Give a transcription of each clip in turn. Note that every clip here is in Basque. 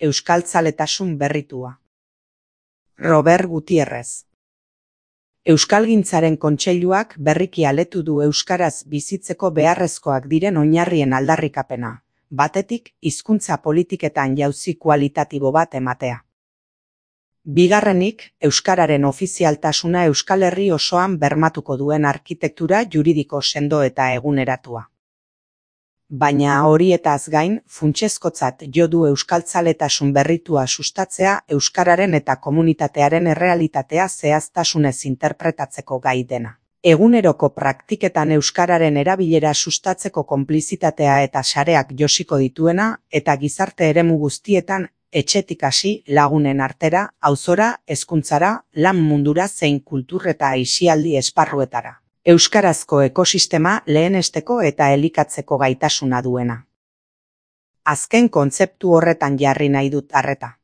Euskaltzaletasun berritua. Robert Gutierrez. Euskalgintzaren kontseiluak berriki aletu du euskaraz bizitzeko beharrezkoak diren oinarrien aldarrikapena, batetik hizkuntza politiketan jauzi kualitatibo bat ematea. Bigarrenik, euskararen ofizialtasuna Euskal Herri osoan bermatuko duen arkitektura juridiko sendo eta eguneratua. Baina horietaz gain, funtsezkotzat jo du euskaltzaletasun berritua sustatzea euskararen eta komunitatearen errealitatea zehaztasunez interpretatzeko gai dena. Eguneroko praktiketan euskararen erabilera sustatzeko konplizitatea eta sareak josiko dituena eta gizarte eremu guztietan etxetik hasi lagunen artera, auzora, hezkuntzara, lan mundura zein kultur eta aisialdi esparruetara. Euskarazko ekosistema lehenesteko eta elikatzeko gaitasuna duena. Azken kontzeptu horretan jarri nahi dut arreta.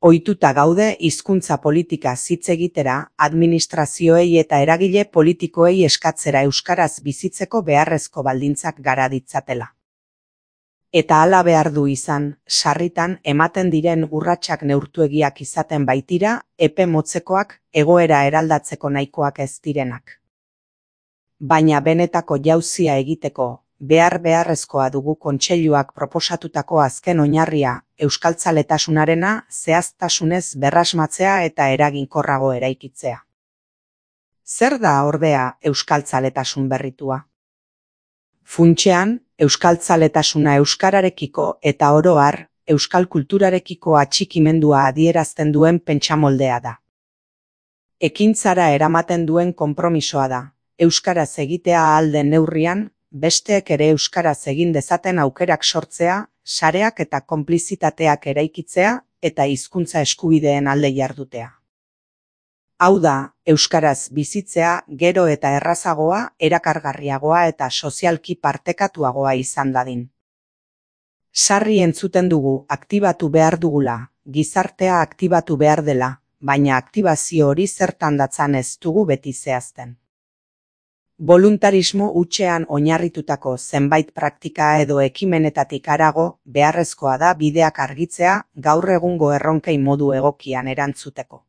Ohituta gaude hizkuntza politika hitz egitera, administrazioei eta eragile politikoei eskatzera euskaraz bizitzeko beharrezko baldintzak gara ditzatela. Eta hala behar du izan, sarritan ematen diren urratsak neurtuegiak izaten baitira, epe motzekoak, egoera eraldatzeko nahikoak ez direnak. Baina benetako jauzia egiteko, beharrezkoa dugu kontseiluak proposatutako azken oinarria, euskaltzaletasunarena zehaztasunez berrasmatzea eta eraginkorrago eraikitzea. Zer da ordea euskaltzaletasun berritua? Funtsean, euskaltzaletasuna euskararekiko eta oro har, euskal kulturarekiko atxikimendua adierazten duen pentsamoldea da. Ekintzara eramaten duen konpromisoa da. Euskaraz egitea ahal den neurrian, besteek ere euskaraz egin dezaten aukerak sortzea, sareak eta konplizitateak eraikitzea eta hizkuntza eskubideen alde jardutea. Hau da, euskaraz bizitzea gero eta errazagoa, erakargarriagoa eta sozialki partekatuagoa izan dadin. Sarri entzuten dugu aktibatu behar dugula, gizartea aktibatu behar dela, baina aktibazio hori zertan datzan ez dugu beti zehazten. Boluntarismo hutsean oinarritutako zenbait praktika edo ekimenetatik harago beharrezkoa da bideak argitzea gaur egungo erronkei modu egokian erantzuteko.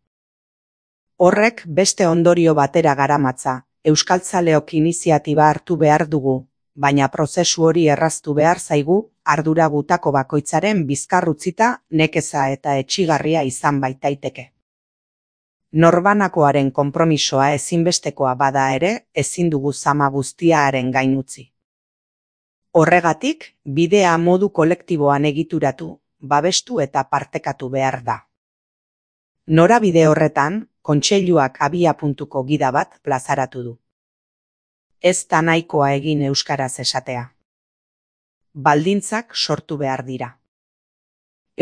Horrek beste ondorio batera garamatza, euskaltzaleok iniziatiba hartu behar dugu, baina prozesu hori erraztu behar zaigu, ardura gutako bakoitzaren bizkarrutzita, nekeza eta etsigarria izan baitaiteke. Norbanakoaren konpromisoa ezinbestekoa bada ere, ezin dugu zama guztia haren gain utzi. Horregatik, bidea modu kolektiboan egituratu, babestu eta partekatu behar da. Norabide horretan, kontseiluak abiapuntuko gida bat plazaratu du. Ez da nahikoa egin euskaraz esatea. Baldintzak sortu behar dira.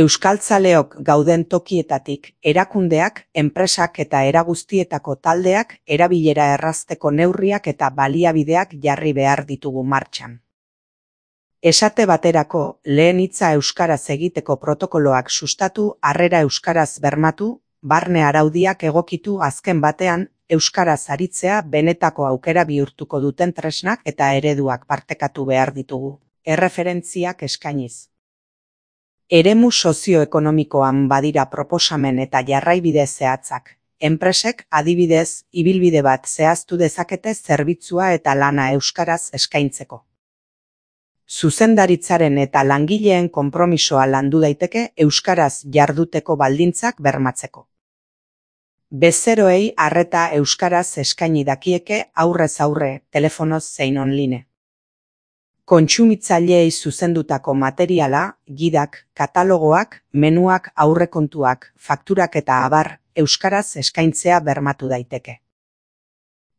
Euskaltzaleok gauden tokietatik, erakundeak, enpresak eta eraguztietako taldeak erabilera errazteko neurriak eta baliabideak jarri behar ditugu martxan. Esate baterako, lehen hitza euskaraz egiteko protokoloak sustatu, harrera euskaraz bermatu, barne araudiak egokitu azken batean, euskaraz aritzea benetako aukera bihurtuko duten tresnak eta ereduak partekatu behar ditugu, erreferentziak eskainiz. Eremu sozioekonomikoan badira proposamen eta jarraibide zehatzak. Enpresek adibidez, ibilbide bat zehaztu dezakete zerbitzua eta lana euskaraz eskaintzeko. Zuzendaritzaren eta langileen konpromisoa landu daiteke euskaraz jarduteko baldintzak bermatzeko. Bezeroei arreta euskaraz eskaini dakieke aurrez aurre, telefonoz zein online. Kontsumitzaileei zuzendutako materiala, gidak, katalogoak, menuak, aurrekontuak, fakturak eta abar, euskaraz eskaintzea bermatu daiteke.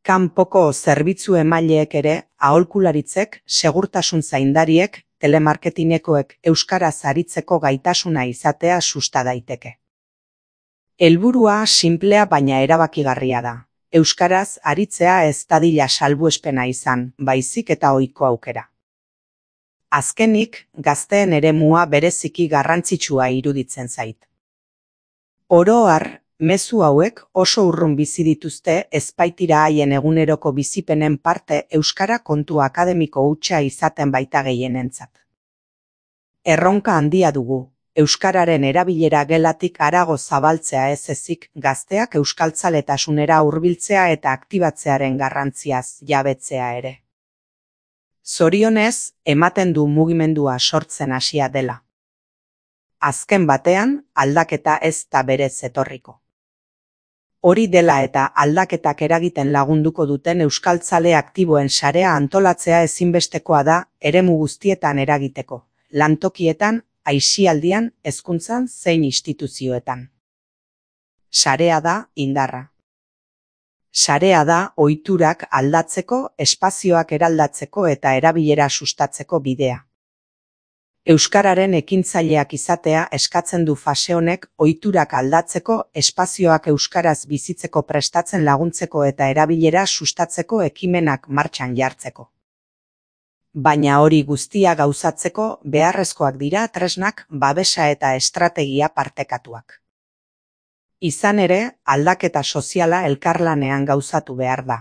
Kanpoko zerbitzu emaileek ere, aholkularitzek, segurtasun zaindariek, telemarketinekoek euskaraz aritzeko gaitasuna izatea susta daiteke. Helburua sinplea baina erabakigarria da. Euskaraz aritzea ez dadila salbuespena izan, baizik eta ohiko aukera. Azkenik, gazteen eremua bereziki garrantzitsua iruditzen zait. Oro har, mezu hauek oso urrun bizi dituzte ezbaitira haien eguneroko bizipenen parte euskara kontu akademiko hutsa izaten baita gehienentzat. Erronka handia dugu, euskararen erabilera gelatik harago zabaltzea ez ezik, gazteak euskaltzaletasunera hurbiltzea eta aktibatzearen garrantziaz jabetzea ere. Zorionez, ematen du mugimendua sortzen hasia dela. Azken batean, aldaketa ez da berez etorriko. Hori dela eta aldaketak eragiten lagunduko duten euskaltzale aktiboen sarea antolatzea ezinbestekoa da eremu guztietan eragiteko, lantokietan, aisialdian, hezkuntzan zein instituzioetan. Sarea da indarra. Sarea da ohiturak aldatzeko, espazioak eraldatzeko eta erabilera sustatzeko bidea. Euskararen ekintzaileak izatea eskatzen du fase honek ohiturak aldatzeko, espazioak euskaraz bizitzeko prestatzen laguntzeko eta erabilera sustatzeko ekimenak martxan jartzeko. Baina hori guztia gauzatzeko beharrezkoak dira tresnak, babesa eta estrategia partekatuak. Izan ere, aldaketa soziala elkarlanean gauzatu behar da.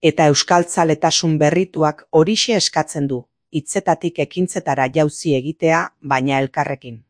Eta euskaltzaletasun berrituak horixe eskatzen du, hitzetatik ekintzetara jauzi egitea, baina elkarrekin.